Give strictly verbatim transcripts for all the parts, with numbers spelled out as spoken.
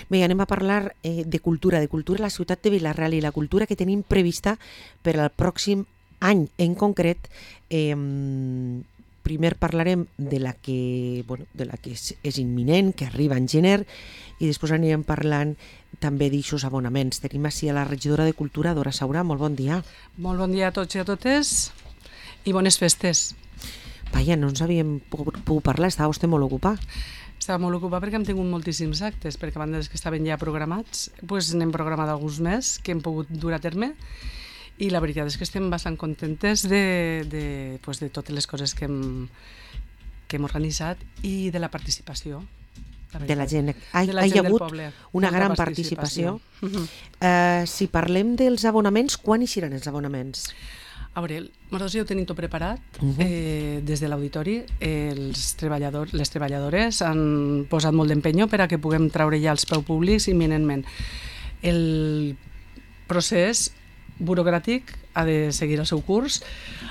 Bé, anem a parlar eh, de cultura, de cultura a la ciutat de Vila-real i la cultura que tenim prevista per al pròxim any en concret. Eh, primer parlarem de la que, bueno, de la que és, és imminent, que arriba en gener, i després anirem parlant també d'aixòs abonaments. Tenim així a la regidora de Cultura, Dora Saura. Molt bon dia. Molt bon dia a tots i a totes i bones festes. Vaja, no ens havíem pogut parlar, estava vostè molt ocupat. Estava molt ocupat perquè hem tingut moltíssims actes, perquè a banda dels que estaven ja programats, doncs n'hem programat alguns més que hem pogut dur a terme, i la veritat és que estem bastant contentes de, de, pues de totes les coses que hem, que hem organitzat i de la participació. La de la gent. Ha, de la hi gent ha hagut poble, una gran participació. participació. Uh, si parlem dels abonaments, quan hi seran els abonaments? A veure, nosaltres ja ho tenim tot preparat. Uh -huh. eh, des de l'auditori els treballadors, les treballadores han posat molt d'empenyo per a que puguem traure ja els preus públics imminentment. El procés burocràtic ha de seguir el seu curs.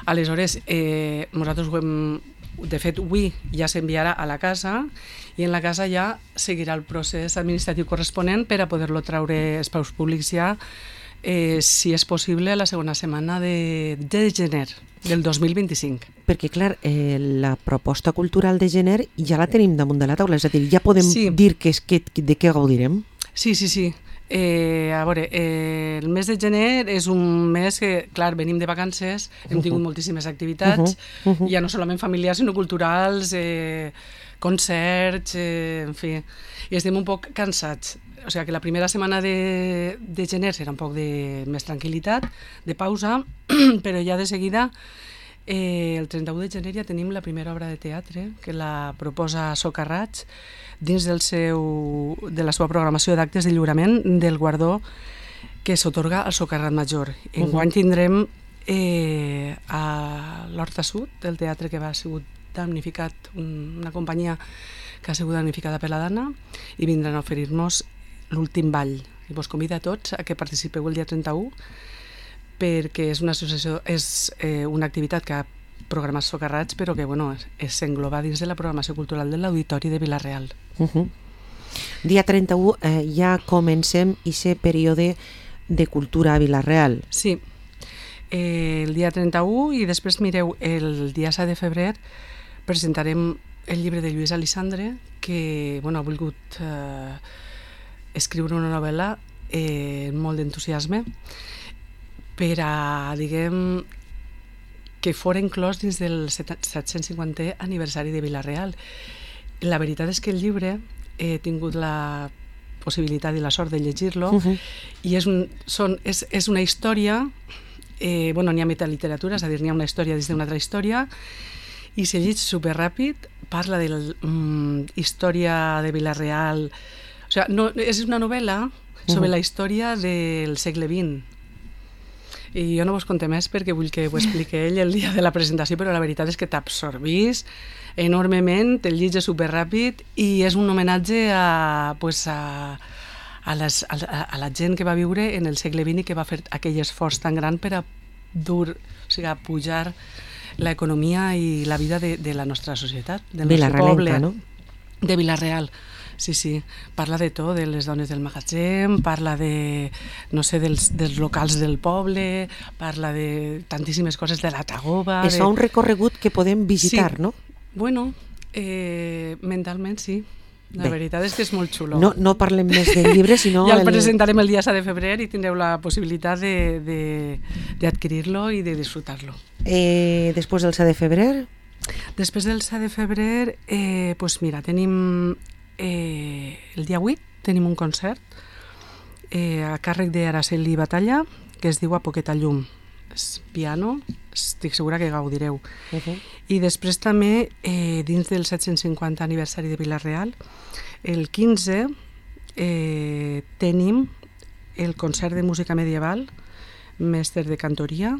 Aleshores, eh, nosaltres ho hem, de fet, avui ja s'enviarà a la casa i en la casa ja seguirà el procés administratiu corresponent per a poder-lo traure els preus públics ja, eh, si és possible, a la segona setmana de, de gener del dos mil vint-i-cinc. Perquè, clar, eh, la proposta cultural de gener ja la tenim damunt de la taula, és a dir, ja podem sí. dir que és que, de què gaudirem? Sí, sí, sí. Eh, a veure, eh, el mes de gener és un mes que, clar, venim de vacances, hem tingut moltíssimes activitats, uh -huh, uh -huh. ja no solament familiars, sinó culturals, eh, concerts, eh, en fi, i estem un poc cansats. O sigui que la primera setmana de, de gener serà un poc de més tranquil·litat, de pausa, però ja de seguida, eh, el trenta-u de gener ja tenim la primera obra de teatre, que la proposa Socarrats, dins del seu, de la seva programació d'actes de lliurament del guardó que s'atorga al Socarrat Major. Enguany tindrem eh, a l'Horta Sud, del teatre que va sigut damnificat, un, una companyia que ha sigut damnificada per la Dana, i vindran a oferir-nos l'últim ball. I vos convido a tots a que participeu el dia trenta-u, perquè és una associació, és eh, una activitat que ha programat Socarrats, però que bueno, s'engloba dins de la programació cultural de l'Auditori de Vila-real. Uh -huh. Dia trenta-u eh, ja comencem aquest període de cultura a Vila-real. Sí, eh, el dia trenta-u, i després mireu, el dia set de febrer presentarem el llibre de Lluís Alissandre, que bueno, ha volgut eh, escriure una novel·la eh, amb molt d'entusiasme per a, diguem, que fora inclòs dins del set-cents cinquantè aniversari de Vila-real. La veritat és que el llibre he tingut la possibilitat i la sort de llegir-lo, uh -huh. i és, un, són, és, és una història, eh, bueno, n'hi ha metaliteratura, és a dir, n'hi ha una història dins d'una altra història, i s'ha llegit superràpid, parla de la um, història de Vila-real, o sigui, no, és una novel·la sobre uh -huh. la història del segle vint. I jo no vos conté més perquè vull que ho expliqui ell el dia de la presentació, però la veritat és que t'absorbís enormement, te'l llitges superràpid i és un homenatge a, pues a, a, les, a, a la gent que va viure en el segle vint i que va fer aquell esforç tan gran per a dur, o sigui, a pujar l'economia i la vida de, de la nostra societat, del nostre poble, no? De Vila-real. Sí, sí, parla de tot, de les dones del magatzem, parla de, no sé, dels, dels locals del poble, parla de tantíssimes coses, de la Tagoba... Es de... fa un recorregut que podem visitar, sí. no? Bueno, eh, mentalment sí. La Bé. veritat és que és molt xulo. No, no parlem més del llibre, sinó... Ja el el presentarem el dia set de febrer i tindreu la possibilitat d'adquirir-lo i de disfrutar-lo. Eh, després del set de febrer? Després del set de febrer, eh, pues mira, tenim... Eh, el dia vuit tenim un concert eh, a càrrec d'Araceli Batalla, que es diu A poqueta llum. És piano, estic segura que gaudireu. Uh -huh. I després també, eh, dins del set-cents cinquanta aniversari de Vila-real, el quinze eh, tenim el concert de música medieval, mestre de cantoria,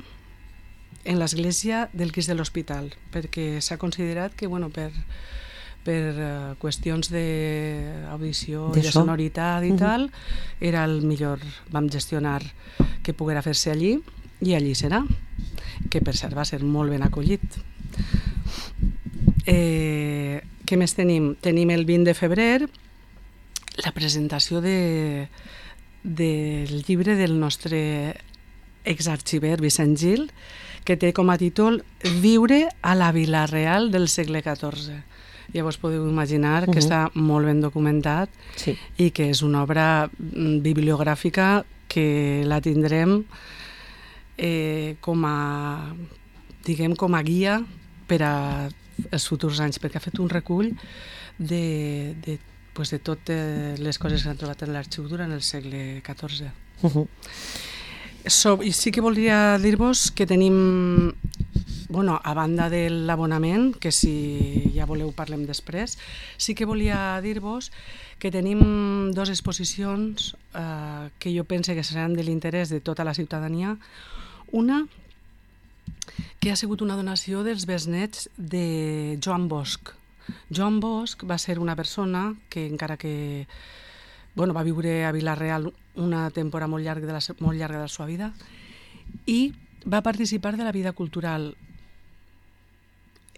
en l'església del Crist de l'Hospital, perquè s'ha considerat que, bueno, per... per uh, qüestions d'audició i de sonoritat i uh -huh. tal, era el millor, vam gestionar que poguera fer-se allí, i allí serà, que per cert va ser molt ben acollit. Eh, què més tenim? Tenim el vint de febrer la presentació de, del llibre del nostre exarxiver Vicent Gil, que té com a títol Viure a la Vila-real del segle catorze. Llavors podeu imaginar uh-huh. que està molt ben documentat sí. i que és una obra bibliogràfica que la tindrem eh, com a, diguem, com a guia per als futurs anys, perquè ha fet un recull de, de, pues de totes les coses que s'han trobat en l'arxiu durant el segle catorze. Uh-huh. So, i sí que voldria dir-vos que tenim, bueno, a banda de l'abonament, que si ja voleu parlem després, sí que volia dir-vos que tenim dues exposicions eh, que jo pense que seran de l'interès de tota la ciutadania. Una, que ha sigut una donació dels besnets de Joan Bosch. Joan Bosch va ser una persona que, encara que bueno, va viure a Vila-real una temporada molt llarga, de la, molt llarga de la seva vida i va participar de la vida cultural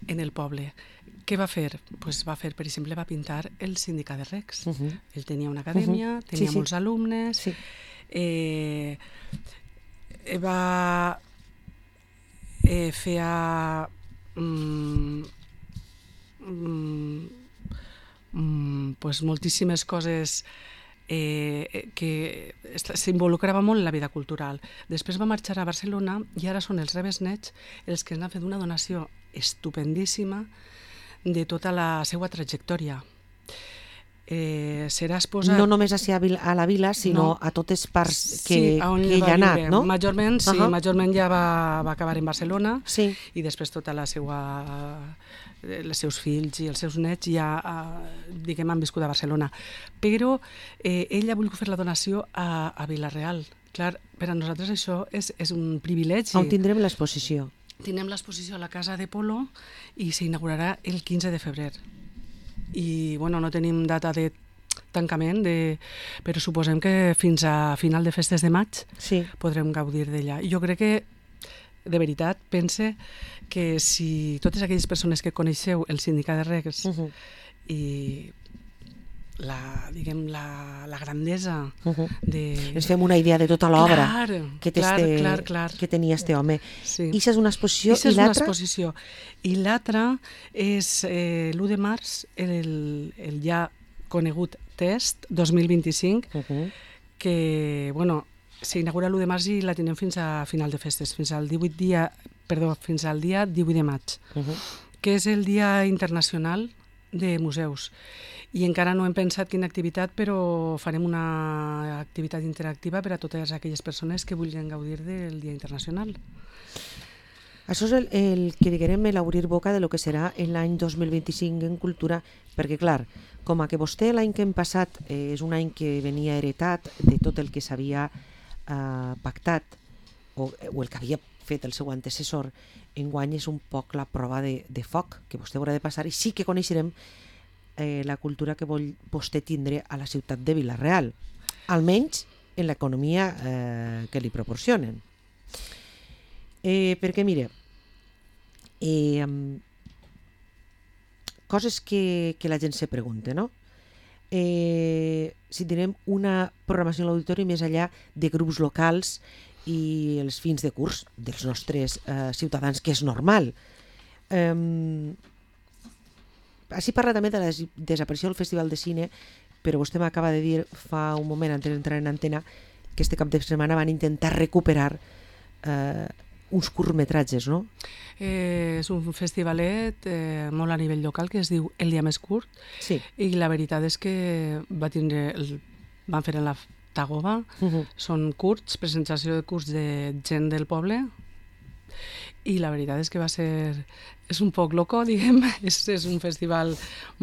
en el poble. Què va fer? Pues va fer, per exemple, va pintar el Sindicat de Recs. Uh-huh. Ell tenia una acadèmia, uh-huh. tenia sí, molts sí. alumnes, sí. eh, va eh, feia mm, mm, mm, pues moltíssimes coses Eh, que s'involucrava molt en la vida cultural. Després va marxar a Barcelona i ara són els rebesnets els que han fet una donació estupendíssima de tota la seva trajectòria. Eh, serà exposat... No només a la vila, sinó no. a totes parts que, sí, que ell ha anat, no? Majorment, sí, uh-huh. majorment ja va, va acabar en Barcelona sí. i després tota la seva... els seus fills i els seus nets ja diguem, han viscut a Barcelona. Però eh, ell ha volgut fer la donació a, a Vila-real. Clar, per a nosaltres això és, és un privilegi. On tindrem l'exposició? Tindrem l'exposició a la Casa de Polo i s'inaugurarà el quinze de febrer. I bueno, no tenim data de tancament, de... però suposem que fins a final de festes de maig sí. podrem gaudir d'ella. I jo crec que de veritat, pense que si totes aquelles persones que coneixeu el Sindicat de Recs uh-huh. i la, diguem, la, la grandesa uh-huh. de... Ens fem una idea de tota l'obra que, clar, clar, clar. que tenia este home. Sí. I això és una exposició. I l'altra? Una exposició. I l'altra és eh, l'u de març, el, el ja conegut Test dos mil vint-i-cinc, uh-huh. que, bueno, s'inaugura l'u de març i la tenim fins a final de festes, fins al divuit dia, perdó, fins al dia divuit de maig, uh-huh. que és el Dia Internacional de Museus. I encara no hem pensat quina activitat, però farem una activitat interactiva per a totes aquelles persones que vulguin gaudir del Dia Internacional. Això és el, el que diguem l'obrir boca de lo que serà l'any dos mil vint-i-cinc en cultura, perquè clar, com a que vostè l'any que hem passat eh, és un any que venia heretat de tot el que s'havia Uh, pactat o, o el que havia fet el seu antecessor, enguany és un poc la prova de, de foc que vostè haurà de passar i sí que coneixerem eh, la cultura que vol vostè tindre a la ciutat de Vila-real, almenys en l'economia eh, que li proporcionen. Eh, perquè mire, eh, coses que, que la gent se pregunta, no? Eh, si tenim una programació a l'auditori més enllà de grups locals i els fins de curs dels nostres eh, ciutadans, que és normal. Eh, així parla també de la desaparició del Festival de Cine, però vostè m'acaba de dir fa un moment antes d'entrar en antena que este cap de setmana van intentar recuperar eh, uns curtmetratges, no? Eh, és un festivalet eh, molt a nivell local que es diu El dia més curt sí. i la veritat és que va tindre el, van fer en la Tagoba, uh-huh. són curts, presentació de curts de gent del poble i la veritat és que va ser és un poc loco, diguem, és, és un festival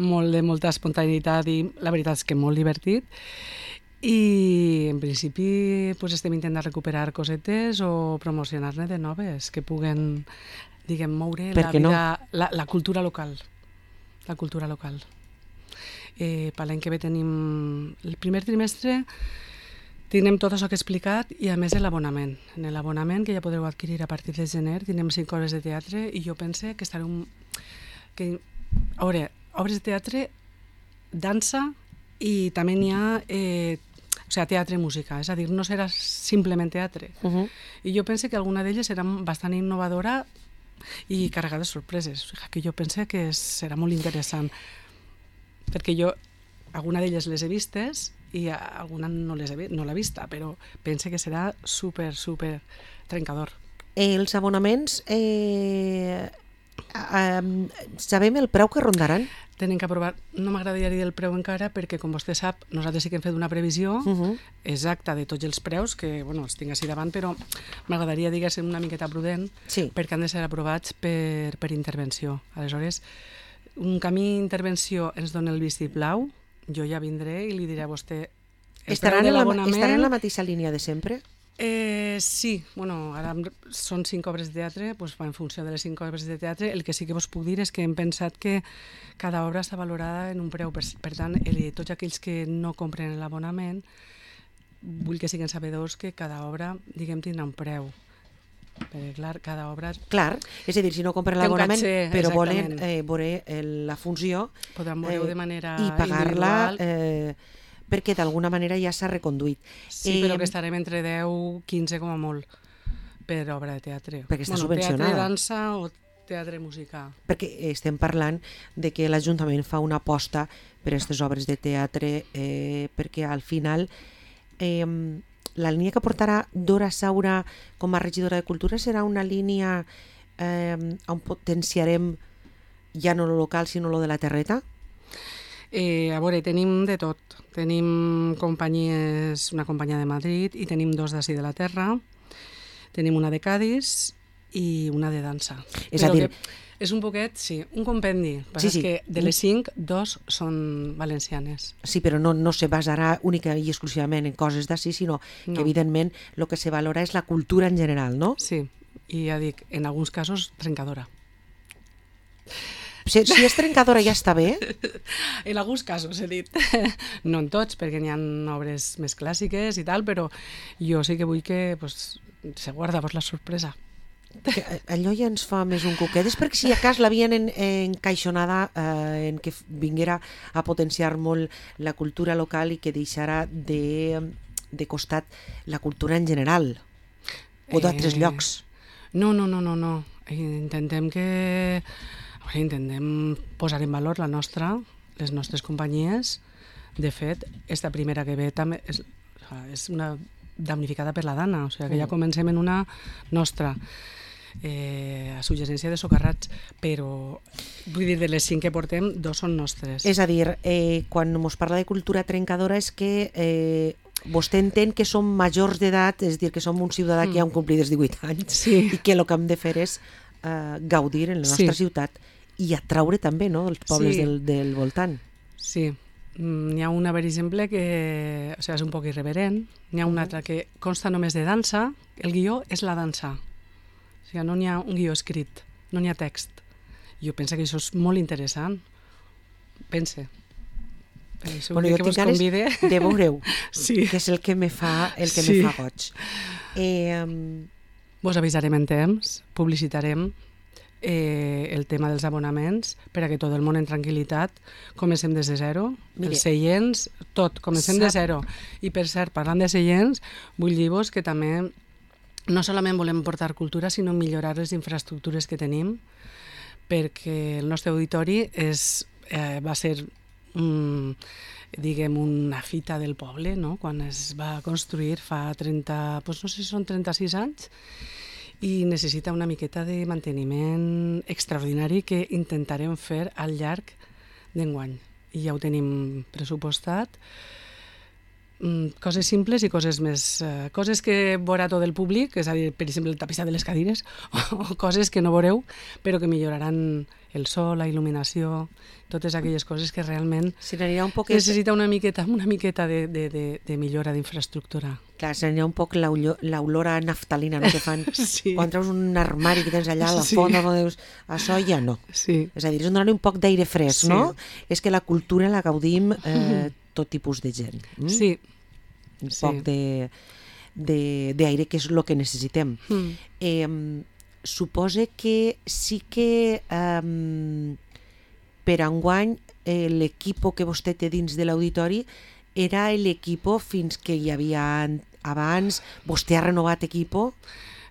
molt de molta espontaneïtat i la veritat és que molt divertit. I en principi pues, estem intentant recuperar cosetes o promocionar-ne de noves que puguen, diguem, moure la, vida, no? la, la cultura local. La cultura local. Eh, per l'any que ve tenim el primer trimestre, tindrem tot això que he explicat i a més l'abonament. En l'abonament, que ja podreu adquirir a partir de gener, tindrem cinc hores de teatre i jo pense que estaré un... Que, a veure, obres de teatre, dansa i també n'hi ha eh, o sigui, teatre i música, és a dir, no serà simplement teatre. Uh-huh. I jo penso que alguna d'elles serà bastant innovadora i carregada de sorpreses, o sigui, que jo penso que serà molt interessant, perquè jo alguna d'elles les he vistes i alguna no les he, no l'he vista, però penso que serà super, super trencador. Els abonaments, eh, eh, sabem el preu que rondaran? Tenen que aprovar, no m'agradaria dir el preu encara perquè, com vostè sap, nosaltres sí que hem fet una previsió uh-huh. exacta de tots els preus, que bueno, els tinc així davant, però m'agradaria, diguéssim, una miqueta prudent, sí. perquè han de ser aprovats per, per intervenció. Aleshores, un camí d'intervenció ens dona el vistiplau, jo ja vindré i li diré a vostè el estaran preu de la, l'abonament... Estaran en la mateixa línia de sempre? Eh, sí, bueno, ara són cinc obres de teatre, doncs va en funció de les cinc obres de teatre. El que sí que vos puc dir és que hem pensat que cada obra està valorada en un preu, per, per tant, el, tots aquells que no compren l'abonament, vull que siguin sabedors que cada obra, diguem, tindrà un preu. Perquè, clar, cada obra... Clar, és a dir, si no compren l'abonament, però volen eh, veure la funció... Podran veure-ho eh, de manera i pagar-la... individual. Eh, perquè d'alguna manera ja s'ha reconduït. Sí, eh, però que estarem entre deu, quinze com a molt per obra de teatre. Perquè està bueno, subvencionada. Teatre, dansa o teatre musical. Perquè estem parlant de que l'Ajuntament fa una aposta per aquestes obres de teatre, eh, perquè al final eh, la línia que portarà Dora Saura com a regidora de Cultura serà una línia eh, on potenciarem ja no lo local sinó lo de la terreta? Eh, a veure, tenim de tot. Tenim companyies, una companyia de Madrid i tenim dos d'ací de la Terra, tenim una de Cadis i una de dansa. És a dir... És un poquet, sí, un compendi. Sí, sí. És que de les cinc, dos són valencianes. Sí, però no, no se basarà única i exclusivament en coses d'ací, sinó no. que evidentment el que se valora és la cultura en general, no? Sí, i ja dic, en alguns casos trencadora. Si, si és trencadora ja està bé? En alguns casos, he dit. No en tots, perquè n'hi ha obres més clàssiques i tal, però jo sí que vull que pues, se guarda pues, la sorpresa. Que allò ja ens fa més un cuquet. És perquè si a cas l'havien en, encaixonada eh, en que vinguera a potenciar molt la cultura local i que deixara de, de costat la cultura en general o d'altres eh, llocs. No, no, no, no, no. Intentem que... intentem posar en valor la nostra, les nostres companyies. De fet, esta primera que ve també és, és una damnificada per la Dana, o sigui que ja comencem en una nostra eh, a suggerència de socarrats, però vull dir, de les cinc que portem, dos són nostres. És a dir, eh, quan ens parla de cultura trencadora és que eh, vostè entén que som majors d'edat, és a dir, que som un ciutadà mm. que ja han complit els divuit anys sí. i que el que hem de fer és eh, gaudir en la nostra sí. ciutat i atraure també, no?, els pobles sí. del, del voltant. Sí, n'hi ha una, per exemple, que o sigui, és un poc irreverent, n'hi ha una altra que consta només de dansa, el guió és la dansa, o sigui, no n'hi ha un guió escrit, no n'hi ha text. Jo penso que això és molt interessant, pense. Bueno, jo tinc ganes de veure-ho, sí. que és el que me fa, el que sí. me fa goig. Eh, Vos avisarem en temps, publicitarem eh, el tema dels abonaments per a que tot el món en tranquil·litat comencem des de zero, Mire, els seients, tot, comencem sap... de zero. I per cert, parlant de seients, vull dir-vos que també no solament volem portar cultura, sinó millorar les infraestructures que tenim, perquè el nostre auditori és, eh, va ser mm, diguem, una fita del poble, no?, quan es va construir fa trenta, doncs no sé si són trenta-sis anys, i necessita una miqueta de manteniment extraordinari que intentarem fer al llarg d'enguany. I ja ho tenim pressupostat. Coses simples i coses més... Eh, coses que veurà tot el públic, és a dir, per exemple, el tapissat de les cadires, o coses que no veureu, però que milloraran el so, la il·luminació, totes aquelles coses que realment un poc necessita una miqueta, una miqueta de, de, de, de millora d'infraestructura. Clar, seria un poc l'olor a naftalina, no?, que fan sí. quan treus un armari que tens allà a la sí. font, no dius, això ja no. Sí. És a dir, és donar un poc d'aire fresc, sí. no? És que la cultura la gaudim eh, tot tipus de gent. Mm? Sí. Un sí. poc de d'aire, que és el que necessitem. Mm. Eh, supose que sí que eh, per enguany eh, l'equip que vostè té dins de l'auditori era l'equip fins que hi havia abans? Vostè ha renovat equip?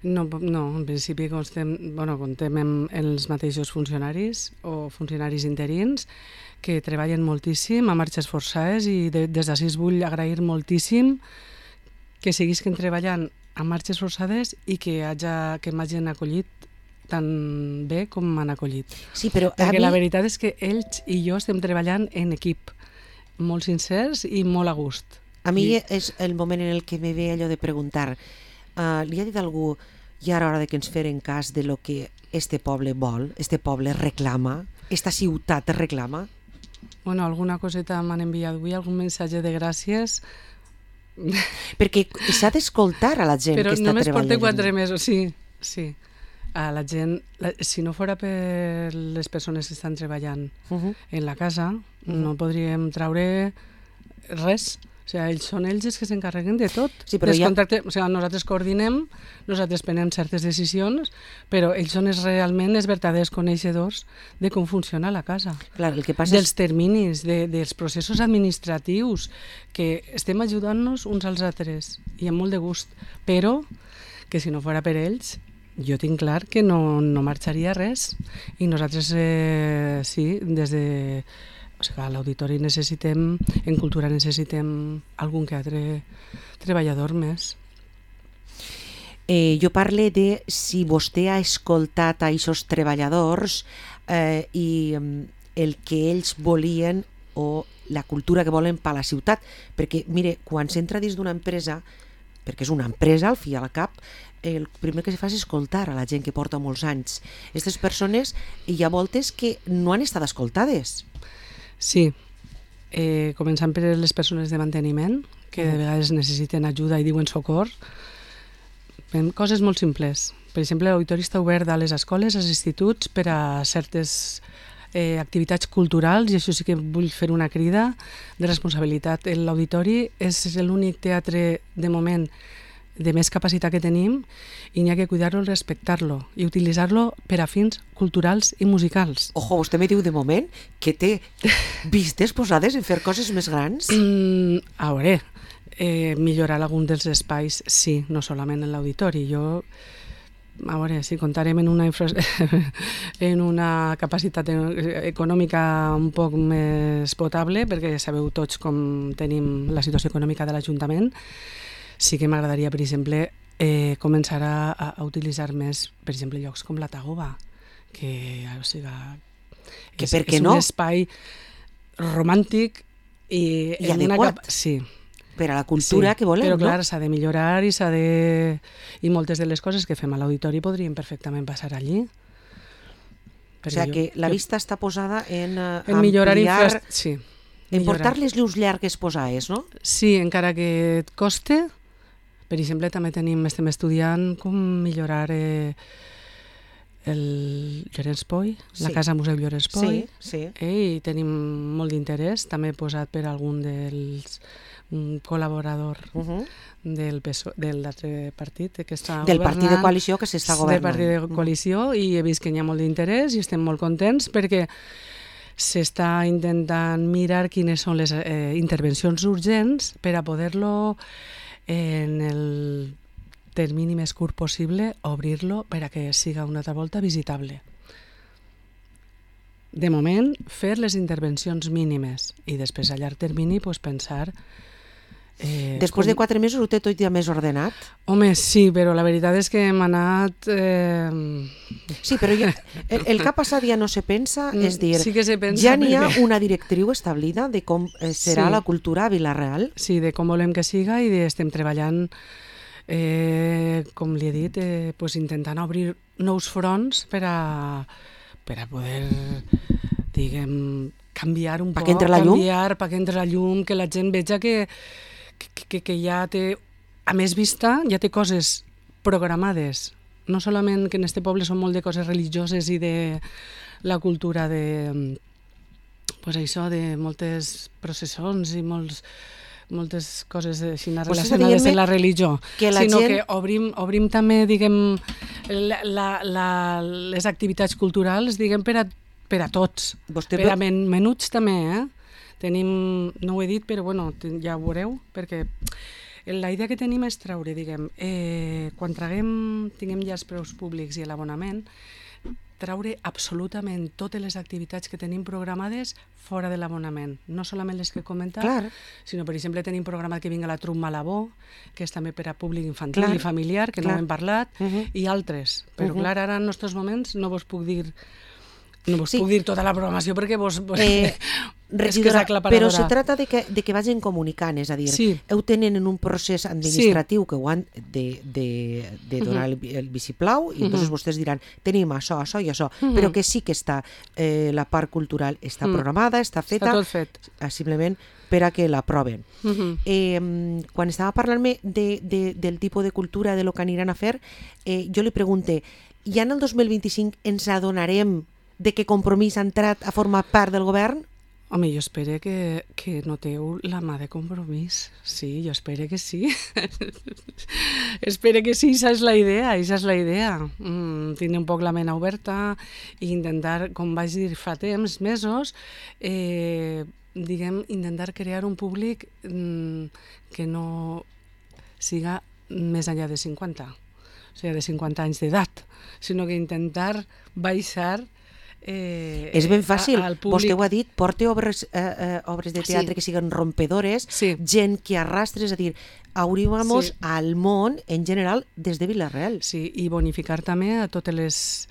No, no, en principi constem, bueno, contem amb els mateixos funcionaris o funcionaris interins que treballen moltíssim a marxes forçades i de, des d'ací vull agrair moltíssim que seguisquen treballant a marxes forçades i que, haja, que m'hagin acollit tan bé com m'han acollit. Sí, però perquè mi... la veritat és que ells i jo estem treballant en equip, molt sincers i molt a gust. A mi I... és el moment en el que me ve allò de preguntar, uh, li ha dit algú, ja era hora de que ens feren cas de lo que este poble vol, este poble reclama, esta ciutat reclama? Bueno, alguna coseta m'han enviat avui, algun missatge de gràcies. Perquè s'ha d'escoltar a la gent però que està treballant. Però només porta quatre mesos, sí, sí. A la gent, la, si no fora per les persones que estan treballant uh-huh. en la casa, uh-huh. no podríem traure res. O sigui, ells són ells els que s'encarreguen de tot. Sí, però ja... o sigui, nosaltres coordinem, nosaltres prenem certes decisions, però ells són els, realment els verdaders coneixedors de com funciona la casa. Clar, el que passa dels és... terminis, de, dels processos administratius, que estem ajudant-nos uns als altres, i amb molt de gust. Però que si no fora per ells, jo tinc clar que no, no marxaria res. I nosaltres, eh, sí, des de... O sigui, a l'auditori necessitem, en cultura necessitem algun que altre treballador més. Eh, jo parle de si vostè ha escoltat a aquests treballadors eh, i el que ells volien o la cultura que volen per a la ciutat. Perquè, mire, quan s'entra dins d'una empresa, perquè és una empresa al fi i al cap, el primer que se fa és escoltar a la gent que porta molts anys. Aquestes persones hi ha voltes que no han estat escoltades. Sí, eh, començant per les persones de manteniment, que de vegades necessiten ajuda i diuen socor. Coses molt simples. Per exemple, l'auditori està obert a les escoles, als instituts, per a certes eh, activitats culturals, i això sí que vull fer una crida de responsabilitat. L'auditori és l'únic teatre, de moment, de més capacitat que tenim, i n'hi ha que cuidar-lo i respectar-lo i utilitzar-lo per a fins culturals i musicals. Ojo, vostè me diu de moment que té vistes posades en fer coses més grans? Mm, a veure, eh, millorar algun dels espais, sí, no solament en l'auditori. Jo, a veure, si comptarem en una, infra... en una capacitat econòmica un poc més potable, perquè sabeu tots com tenim la situació econòmica de l'Ajuntament, sí que m'agradaria, per exemple, eh, començar a, a utilitzar més, per exemple, llocs com la Tagoba, que, o sigui, que és, per què és no? un espai romàntic i, I en adequat. una cap... Sí. Per a la cultura sí, que volem, però clar, no? s'ha de millorar i s'ha de... I moltes de les coses que fem a l'auditori podrien perfectament passar allí. O sigui que la vista està posada en, uh, en millorar ampliar... infra... Sí. En portar les llums llargues posades, no? Sí, encara que et coste. Per exemple, també tenim, estem estudiant com millorar eh, el Llorenç Poi, sí. La Casa Museu Llorenç Poi. Sí, sí. Eh, I tenim molt d'interès, també posat per algun dels un col·laborador uh-huh. del P S O E, del l'altre partit que està del governant. partit de coalició que s'està governant. Del partit de coalició, uh-huh. i he vist que hi ha molt d'interès i estem molt contents perquè s'està intentant mirar quines són les eh, intervencions urgents per a poder-lo en el termini més curt possible obrir-lo per a que siga una altra volta visitable. De moment, fer les intervencions mínimes i després a llarg termini pues, pensar... Eh, Després com... de quatre mesos ho té tot ja més ordenat? Home, sí, però la veritat és que hem anat... Eh... Sí, però ja, el, el que ha passat ja no se pensa, és dir, sí que se pensa ja n'hi ha perquè... una directriu establida de com eh, serà sí. la cultura a Vila-real? Sí, de com volem que siga i de, estem treballant, eh, com li he dit, eh, pues intentant obrir nous fronts per a, per a poder, diguem, canviar un pa poc, que la canviar perquè entre la llum, que la gent veja que Que, que, que ja té, a més vista, ja té coses programades. No solament que en este poble són molt de coses religioses i de la cultura de, pues això, de moltes processons i molts, moltes coses així relacionades amb la religió, que la sinó gent... que obrim, obrim també, diguem, la, la, la, les activitats culturals, diguem, per a per a tots. Vostè Per a ve- men menuts també, eh? Tenim, no ho he dit, però bueno, ten- ja ho veureu, perquè la idea que tenim és treure, diguem, eh, quan traguem, tinguem ja els preus públics i l'abonament, treure absolutament totes les activitats que tenim programades fora de l'abonament. No solament les que he comentat, Clar. sinó, per exemple, tenim programat que vinga la Truc Malabó, que és també per a públic infantil Clar. i familiar, que Clar. no hem parlat, Uh -huh. i altres. Però, Uh-huh. clar, ara en aquests moments no vos puc dir no vos Sí. puc dir tota la programació perquè vos... Eh, és que és regidora, aclaparadora. però se trata de que, de que vagin comunicant, és a dir, Sí. heu tenen en un procés administratiu que ho han de, de, de donar el, el vistiplau i entonces vostès diran, tenim això, això i això, però que sí que està, eh, la part cultural està programada, està feta, Està tot fet. eh, simplement per a que l'aproven. Mhm. Eh, quan estava parlant-me de, de, del tipus de cultura, de lo que aniran a fer, eh, jo li pregunte, ja en el dos mil vint-i-cinc ens adonarem de que Compromís ha entrat a formar part del govern? Home, jo espero que, que noteu la mà de Compromís. Sí, jo espero que sí. espero que sí, esa és la idea, esa és la idea. Mm, tindre un poc la ment oberta i intentar, com vaig dir fa temps, mesos, eh, diguem, intentar crear un públic mm, que no siga més enllà de cinquanta, o sigui, de cinquanta anys d'edat, sinó que intentar baixar Eh, és ben fàcil, a, al públic. vostè ho ha dit, porte obres, eh, eh, obres de teatre Sí. que siguen rompedores, Sí. gent que arrastre, és a dir, obríamos Sí. al món en general des de Vila-real. Sí, i bonificar també a totes les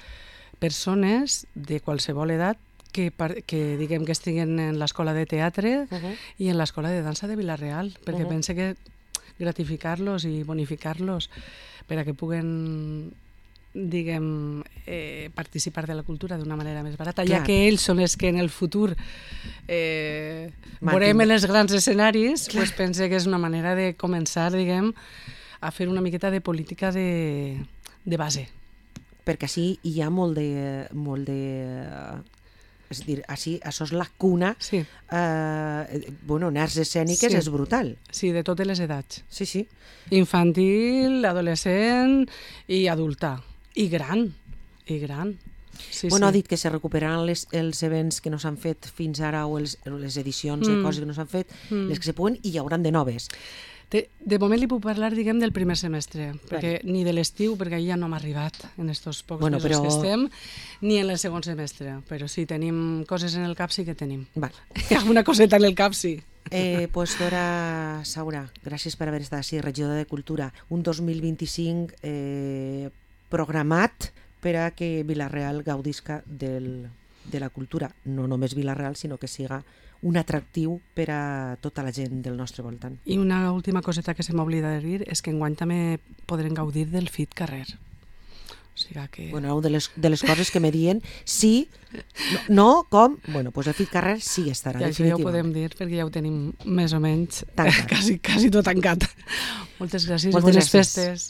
persones de qualsevol edat que, par- que diguem que estiguen en l'escola de teatre Uh -huh. i en l'escola de dansa de Vila-real, perquè Uh-huh. pense que gratificar-los i bonificar-los per a que puguen diguem, eh, participar de la cultura d'una manera més barata, Clar. ja que ells són els que en el futur eh, Mantin- veurem en els grans escenaris, pues pense que és una manera de començar, diguem, a fer una miqueta de política de, de base. Perquè així hi ha molt de... Molt de és a dir, així, això és la cuna, Sí, eh, bueno, en arts escèniques Sí. és brutal. sí, de totes les edats. Sí, sí. Infantil, adolescent i adulta. I gran, i gran. Sí, Bueno, sí. ha dit que se recuperaran les, els events que no s'han fet fins ara o els, les edicions de Mm. coses que no s'han fet, Mm. les que se puguen, i hi hauran de noves. De, de moment li puc parlar, diguem, del primer semestre, perquè ni de l'estiu, perquè ja no hem arribat en estos pocs Bueno, mesos però- que estem, ni en el segon semestre, però sí, tenim coses en el cap, sí que tenim. Vale. Alguna coseta en el cap, sí. Eh, pues Dora Saura, gràcies per haver estat així, regidora de Cultura. Un dos mil vint-i-cinc eh, programat per a que Vila-real gaudisca del, de la cultura. No només Vila-real, sinó que siga un atractiu per a tota la gent del nostre voltant. I una última coseta que se m'oblida de dir és que enguany també podrem gaudir del Fit Carrer. O sigui que... Bueno, de les, de les coses que me dien, sí, no, no com, bueno, pues el Fit Carrer sí estarà, I això ja ho definitivament. podem dir perquè ja ho tenim més o menys Tancat. quasi, quasi tot tancat. Moltes gràcies Moltes i bones gràcies. festes.